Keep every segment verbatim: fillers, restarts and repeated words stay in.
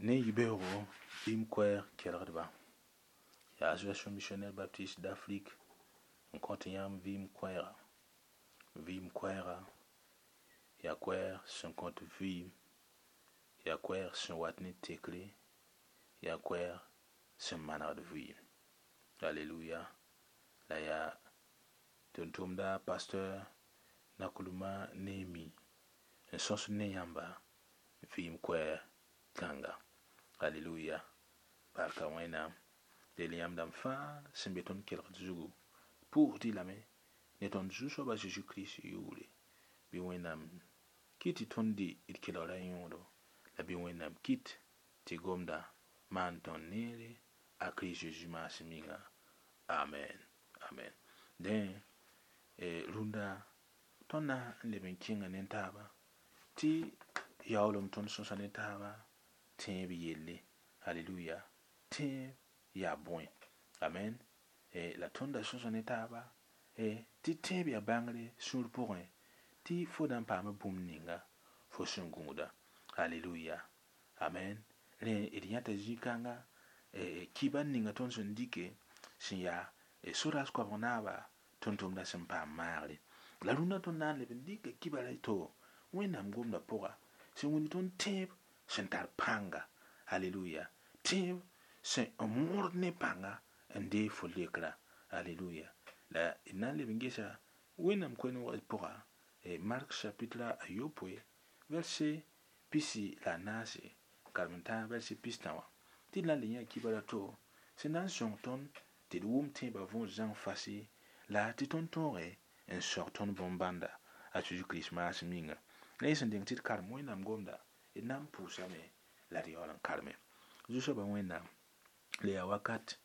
Ne yibeoogo vɩɩm koɛɛg kelgdba yaa Association Missionnaire Baptiste d'Afrique n kõt yãmb vɩɩm koɛɛga. Vɩɩm koɛɛga yaa koɛɛg sẽn kõt vɩɩm, yaa koɛɛg sẽn wat ne tekre, yaa koɛɛg sẽn manegd vɩɩm. Aleluya. La yaa tʋm-tʋmda pasteur Nakuluma Neemi n sõsd ne yãmba vɩɩm koɛɛg kãnga. Aleluya. Barka Wẽnnaam. Deel yãmb dãmb fãa sẽn be tõnd kelgd zugu pʋʋsd-y lame ne tõnd Zu-soaba Zeezi Kirist yʋʋre. Bɩ Wẽnnaam kɩt tɩ tõnd dɩ d kelgra yõodo la bɩ Wẽnnaam kɩt tɩ gomda maan tõnd neere a Kirist Zeezi maasem yĩnga. Amen. Amen. Dẽ rũndã tõnd na n leb n kẽnga ne taaba tɩ yaoolem tõnd sõsa ne taaba tẽeb yelle. Aleluya. Tẽeb yaa bõe? Amen. La tõnda sõsa ne taaba tɩ tẽeb yaa bãngre sũur pʋgẽ tɩ fo na n paama bũmb ninga fo sẽn gũuda. Aleluya. Amen. Rẽ d yãta zĩ-kãnga kiba ninga tõnd sẽn dɩke sẽn yaa sodaas koabg naaba tʋm-tʋmda sẽn paam maagre. La rũndã tõnd na n leb n dɩka kiba ra to Wẽnnaam gomda pʋga sẽn wilg tõnd tẽeb sẽn tar pãnga. Aleluya. Tẽeb sẽn mõord ne pãnga n deeg fo lekra. Aleluya. La d na n leb n gesa Wẽnnaam koe-noogã pʋga Mark chapitre a yopoe verset pisi la a naase karem-n-tãag verset pistã wã tɩ d na n le yã kiba ra to sẽn na n sõng tõnd tɩ d wʋm tẽebã võor zãng fasi la tɩ tõnd tõoge n sog tõnd bõn-bãnda a Zeezi Kirist maasem yĩnga. La yẽ sẽn deng tɩ d karem Wẽnnaam gomda d na n pʋʋsame la d yaool n kareme. Zu-soabã Wẽnnaam la yaa wakat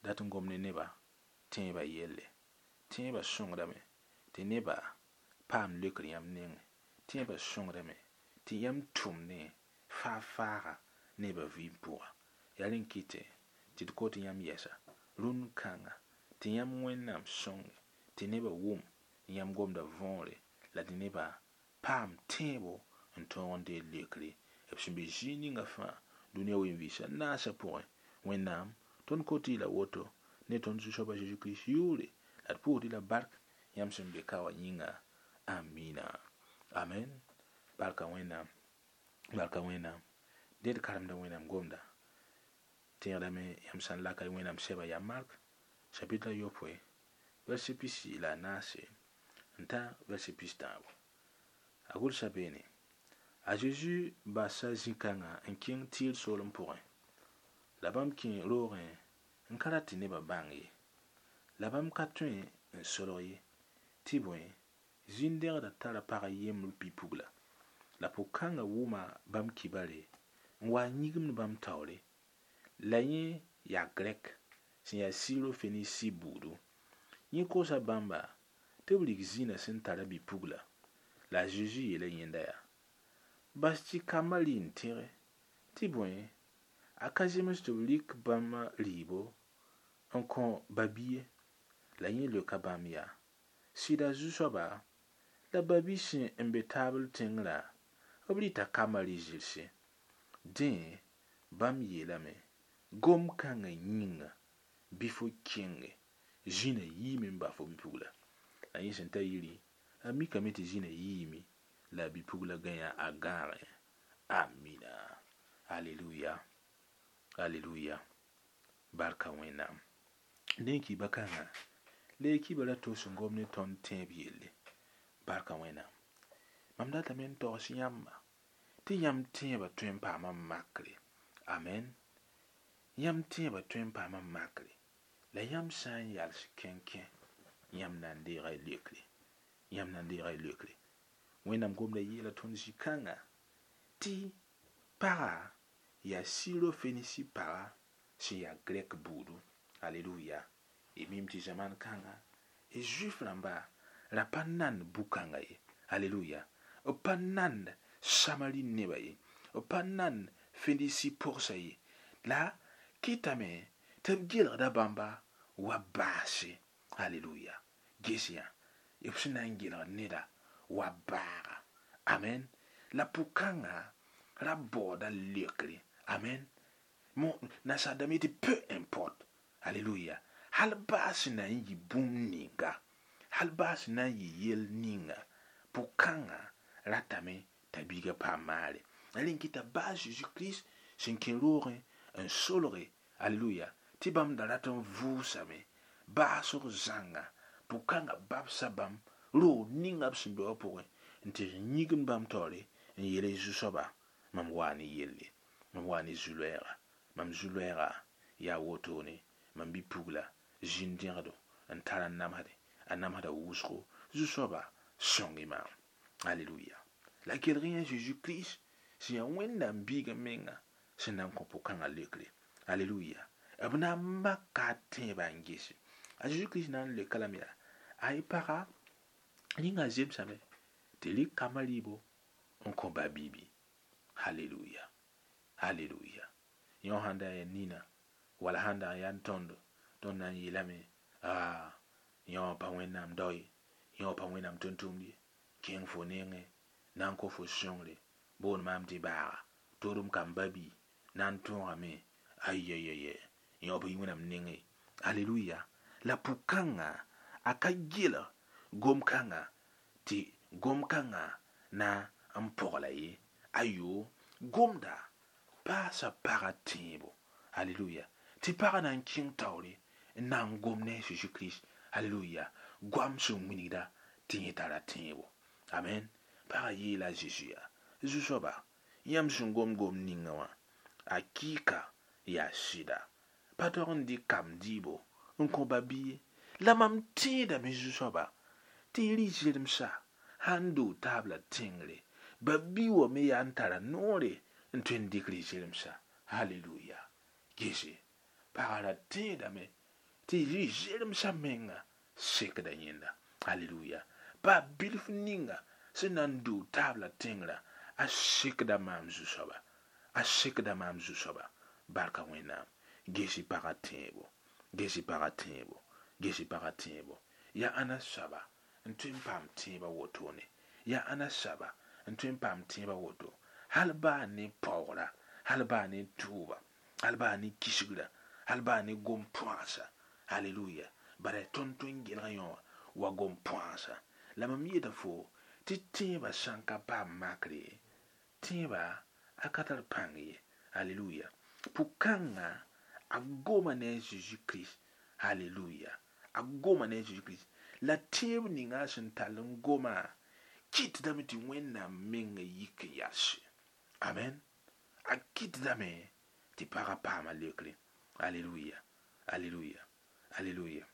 dat n gom ne neba tẽebã yelle. Tẽebã sõngdame tɩ neba paam leokr yãmb nengẽ. Tẽebã sõngdame tɩ yãmb tʋmdẽ faag-faaga nebã vɩɩm pʋga. Yaa rẽn kɩtẽ tɩ d kot yãmb yɛsa rũnd kãnga tɩ yãmb Wẽnnaam sõnge tɩ nebã wʋm yãmb gomda võore la tɩ nebã paam tẽebo n tõog n deeg leokre b sẽn be zĩig ninga fãa dũniyã wen-vɩɩsã naasã pʋgẽ. Wẽnnaam tõnd kot-y la woto ne tõnd Zu-soaba Zeezi Kirist yʋʋre la d pʋʋsd-y la bark yãmb sẽn be ka wã yĩnga. Amina. Amen. Barka Wẽnnaam. Barka Wẽnnaam. Dẽ d karemda Wẽnnaam gomda tẽegdame yãmb sã n laka Wẽnnaam sɛba yaa Mark chapitre a yopoe verset pisi la a naase n tã verset pis-tãabo. A gʋlsa beene a Zeezi basa zĩ-kãngã n kẽng Tɩɩr soolem pʋgẽ la bãmb kẽ roogẽ n ka rat tɩ nebã bãng ye. La bãmb ka tõe n solg ye tɩ bõe zĩn-dẽgdã tara pag yembr bi-pugla. La pʋg-kãngã wʋma bãmb kibare n wa n yĩgimd bãmb taoore. La yẽ yaa grɛk sẽn yaa Siro-Fenisi buudu. Yẽ kosa bãmba tɩ b rig zĩnã sẽn tara bi-pugla. La a Zeezi yeela yẽnda yaa: bas tɩ kambã rɩ n tẽge tɩ bõe a ka zems tɩ b rɩk bãmb rɩɩbo n kõ ba-bi ye. La yẽ leoka bãmb yaa: sɩda zu-soaba la ba-bi sẽn n be taabl tẽngrã b rɩta kambã rɩ-zɩlse. Dẽ bãmb yeelame gom-kãngã yĩnga bɩ fo kẽnge zĩnã yiime n bas fo bi-pugla. La yẽ sẽn ta yiri a mikame tɩ zĩnã yiime la a bi-pugla gãe a gãagẽ. Amina. Aleluya. Aleluya. Barka Wẽnnaam. Dẽ kiba kãngã la y kiba ra to sẽn gom ne tõnd tẽeb yelle. Barka Wẽnnaam. Mam datame n togs yãmba tɩ yãmb tẽebã tõe n paama makre. Amen. Yãmb tẽebã tõe n paama makre. La yãmb sã n yals kẽnkẽ yãmb na n deega y leokre. Yãmb na n deega y leokre. Wẽnnaam gomda yeela tõnd zĩ-kãnga tɩ paga yaa Siro-Fenisi paga sẽn yaa grɛk buudu. Aleluya. Y mim tɩ zamaan kãnga y Zuif rãmba ra pa nand bu-kãnga ye. Aleluya. B pa nand Samari nebã ye. B pa nand Fenisi pʋgsa ye. La kɩtame tɩ b gelgda bãmba wa baase. Aleluya. Ges yã b sẽn na n gelg neda wa baaga. Amen. La pʋg-kãngã ra baooda leokre. Amen. Mo nasaar dãmb yetɩ peu importe. Alleluya. Hal baa sẽn na n yɩ bũmb ninga, hal baa sẽn na n yɩ yell ninga, pʋg-kãngã ratame t'a biigã paam maare. La rẽ n kɩta baa Zeezi Kirist sẽn kẽ roogẽ n solge, alleluya, tɩ bãmb da rat n vʋʋsame baasg zãnga, pʋg-kãngã babsa bãmb roog ninga b sẽn be wã pʋgẽ n tɩ yĩgimd bãmb taoore n yeele zu-soaba mam waa ne yelle, mam waa ne zu-loɛɛga, mam zu-loɛɛga yaa wotone, mam bi-pugla zĩn dẽgdo n tar n namsde, a namsda wʋsgo, zu-soaba sõng-y maam. Alleluya. La kelg yã Zeezi Kirist sẽn yaa Wẽnnaam biigã menga sẽn na n kõ pʋg-kãngã leokre. Alleluya. B na n maka a tẽebã n gese. A Zeezi Kirist na n leoka lame yaa ay paga yĩngã zemsame tɩ rɩk kambã rɩɩbo n kõ ba-bibi. Halleluya. Halleluya. Yõ sãn da yaa nina wala sãn dag n yaa tõndo, tõnd na n yeelame aa yõ wã pa Wẽnnaam dao ye, yõ wã pa Wẽnnaam tʋm-tʋmd ye, kẽng fo nengẽ, na n kõ fo sõngre, boond maam tɩ baaga, tod-m kam ba-bi, na n tõogame, ayayaya, yõ pa yɩ Wẽnnaam nengẽ. Alleluya. La pʋg-kãngã a ka gelg gom-kãngã tɩ gom-kãngã na n pɔgla ye. Ayo, gomda paasa pagã tẽebo. Alleluya. Tɩ pagã na n kẽng taoore n na n gom ne a Zeezi Kirist. Alleluya. Goam sẽn wilgda tɩ yẽ tara tẽebo. Amen. Pagã yeela a Zeezi yaa, zu-soaba, yãmb sẽn gom gom ninga wã, a kɩɩka yaa sɩda. Pa tog n dɩk kam dɩɩbo n kõ ba-bi ye. La mam tẽedame zu-soaba tɩ y rɩ zelemsa sãn doog taab la tẽngre, ba-bi wã me yaa n tara noore n tõe n dɩk rɩ-zelemsa. Halleluya. Gese, pagã ra tẽedame tɩ rɩ-zelemsã menga sekda yẽnda. Halleluya. Baa bilf ninga sẽn na n doog taab la tẽngrã, a sekda maam zu-soaba, a sekda maam zu-soaba. Barka Wẽnnaam. Gesi pagã tẽebo, gesi pagã tẽebo, gesi pagã tẽebo. Yaa ãnna soaba n tõe n paam tẽebã wotone, yaa ãnna soaba n tõe n paam tẽebã woto, hal baa ne paoora, hal baa ne tʋʋba, hal baa ne kisgra, hal baa ne gom-põasa. Halleluya. Bara tõnd tõe n gelg yõ wã wa gom-põasa. La mam yeta fo tɩ tẽebã sãn ka paam makre, tẽebã a ka tar pãng ye. Halleluya. Pʋg-kãngã a goma ne a Zeezi Kirist. Halleluya. A goma ne a Zeezi Kirist. La tẽeb ninga a sẽn tall n goma kɩtdame tɩ Wẽnnaam menga yik n yalse. Amen. A kɩtdame tɩ pagã paama leokre. Alleluya. Alleluya. Alleluya.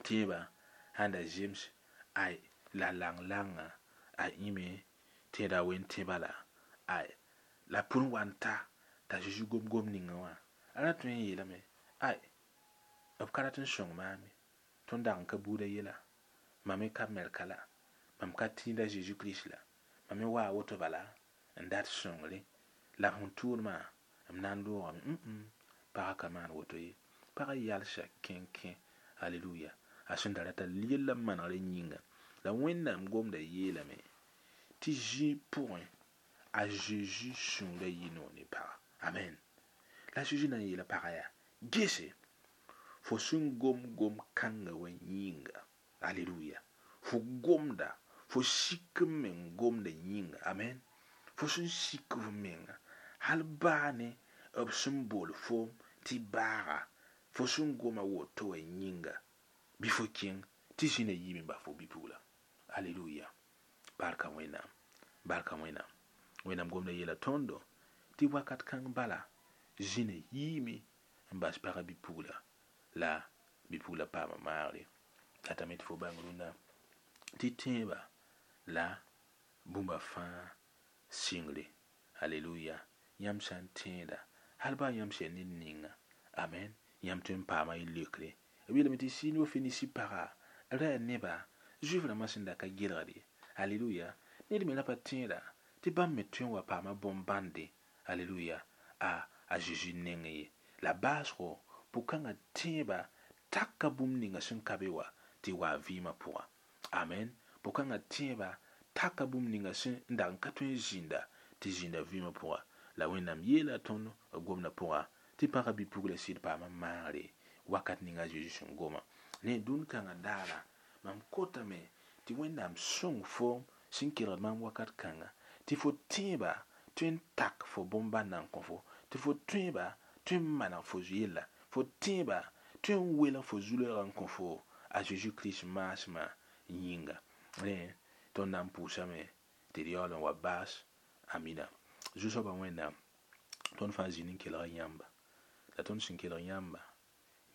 Tẽebã sãn da zems ay la lang-langã a yĩme tẽeda wen tẽba la ay la pʋr n wa n ta t'a Zeezi gom gom ninga wã, a ra tõe n yeelame ay b ka rat n sõng maam ye, tõnd dag n ka buudã yɛla, mam me ka mɛrka la, mam ka tẽeda Zeezi Kirist la, mam me waa woto bala n dat sõngre, la f sẽn tʋʋd maa m na n loogame. Mm pagã ka maan woto ye. Pagã yalsa kẽnkẽ. Alleluya. A sẽn da rata yella manegrã yĩnga. La Wẽnnaam gomda yeelame tɩ zĩig pʋgẽ a Zeezi sũurã yɩ noor ne pagã. Amen. La Zeezi na n yeela pagã yaa, gese fo sẽn gom gom kãngã wã yĩnga. Alleluya. Fo gomda, fo sik n meng gomda yĩnga. Amen. Fo sẽn sik f menga hal baa ne b sẽn bool foom tɩ baaga, fo sẽn goma woto wã yĩnga, bɩ fo kẽng tɩ zĩna yiime n bas fo bi-pugla. Alleluya. Barka Wẽnnaam. Barka Wẽnnaam. Wẽnnaam gomda yeela tõndo tɩ wakat kãng bala zĩna yiime n bas pagã bi-pugla la bi-pugla paama maagre. Datame tɩ fo bãng rũndã tɩ tẽebã la bũmba fãa sɩngre. Alleluya. Yãmb sã n tẽeda hal baa yãmb sẽn ned ninga. Amen. Yãmb tõe n paama y leokre. B yeelame tɩ Siro-Fenisi pagã ra yaa neba Zuif rãmbã sẽn da ka gelgd ye. Alleluya. Ned me ra pa tẽeda tɩ bãmb me tõe n wa paama bõn-bãnde. Alleluya. A a Zeezi nengẽ ye. La baasgo pʋg-kãngã tẽebã taka bũmb ninga sẽn ka be wa tɩ wa a vɩɩmã pʋgã. Amen. Pʋg-kãngã tẽebã taka bũmb ninga sẽn n dag n ka tõe n zĩnda tɩ zĩnda vɩɩmã pʋgã. La Wẽnnaam yeela tõnd b gomdã pʋga tɩ pãga bi-pugla sɩd paama maagre wakat ning a Zeezi sẽn goma. Ne dũn-kãngã daara mam kotame tɩ Wẽnnaam sõng foom sẽn kelgd maam wakat kãnga tɩ fo tẽebã tõe n tak fo bõn-bãndã n kõ fo, tɩ fo tõeba tõe n maneg fo yella, fo tẽebã tõe n welg fo zu-loeegã n kõ fo a Zeezi Kirist maasmã yĩnga. Rẽ tõnd na n pʋʋsame tɩ d yaool n wa baas. Amina. Zu-soabã Wẽnnaam, tõnd fãa zĩnd n kelga yãmba, la tõnd sẽn kelg yãmba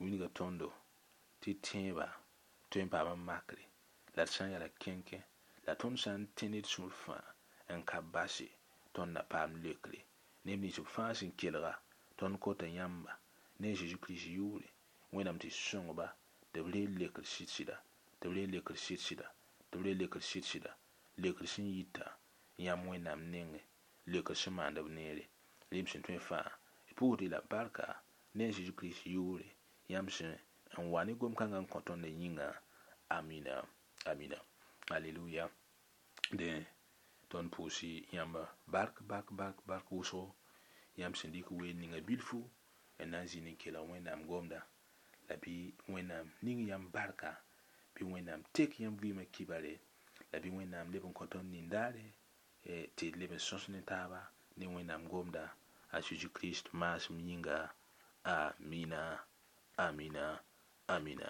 wilga tõndo tɩ tẽebã tõe n paam n makre, la d sã n yaa la kẽnkẽ, la tõnd sã n tẽ ne d sũur fãa n ka base, tõnd na paam leokre. Neb nins b fãa sẽn kelga tõnd kota yãmba ne a Zeezi Kirist yʋʋre, Wẽnnaam tɩ sõng-ba tɩ b reeg leokr sɩd-sɩda, tɩ b reeg leokr sɩd-sɩda, tɩ b reeg leokr sɩd-sɩda, leokr sẽn yita yãmb Wẽnnaam nengẽ, leokr sẽn maand b neere. Rẽm sẽn tõe fãa d pʋʋsd la barka ne a Zeezi Kirist yʋʋre yãmb sẽn n wa ne gom-kãngã n kõ tõnd yĩnga. Amina, amina, aleluya. Dẽ tõnd pʋʋsɩ yãmba bark bark bark bark wʋsgo, yãmb sẽn dɩk weel ninga bilfu n na n zĩnd n kelg Wẽnnaam gomda, la bɩ Wẽnnaam ning yãmb barka, bɩ Wẽnnaam tek yãmb vɩɩmã kibare, la bɩ Wẽnnaam leb n kõ tõnd nin-daare tɩ d leb n sõs ne taaba ne Wẽnnaam gomda a Zeezi Kirist maasem yĩnga. Amina, amina, amina.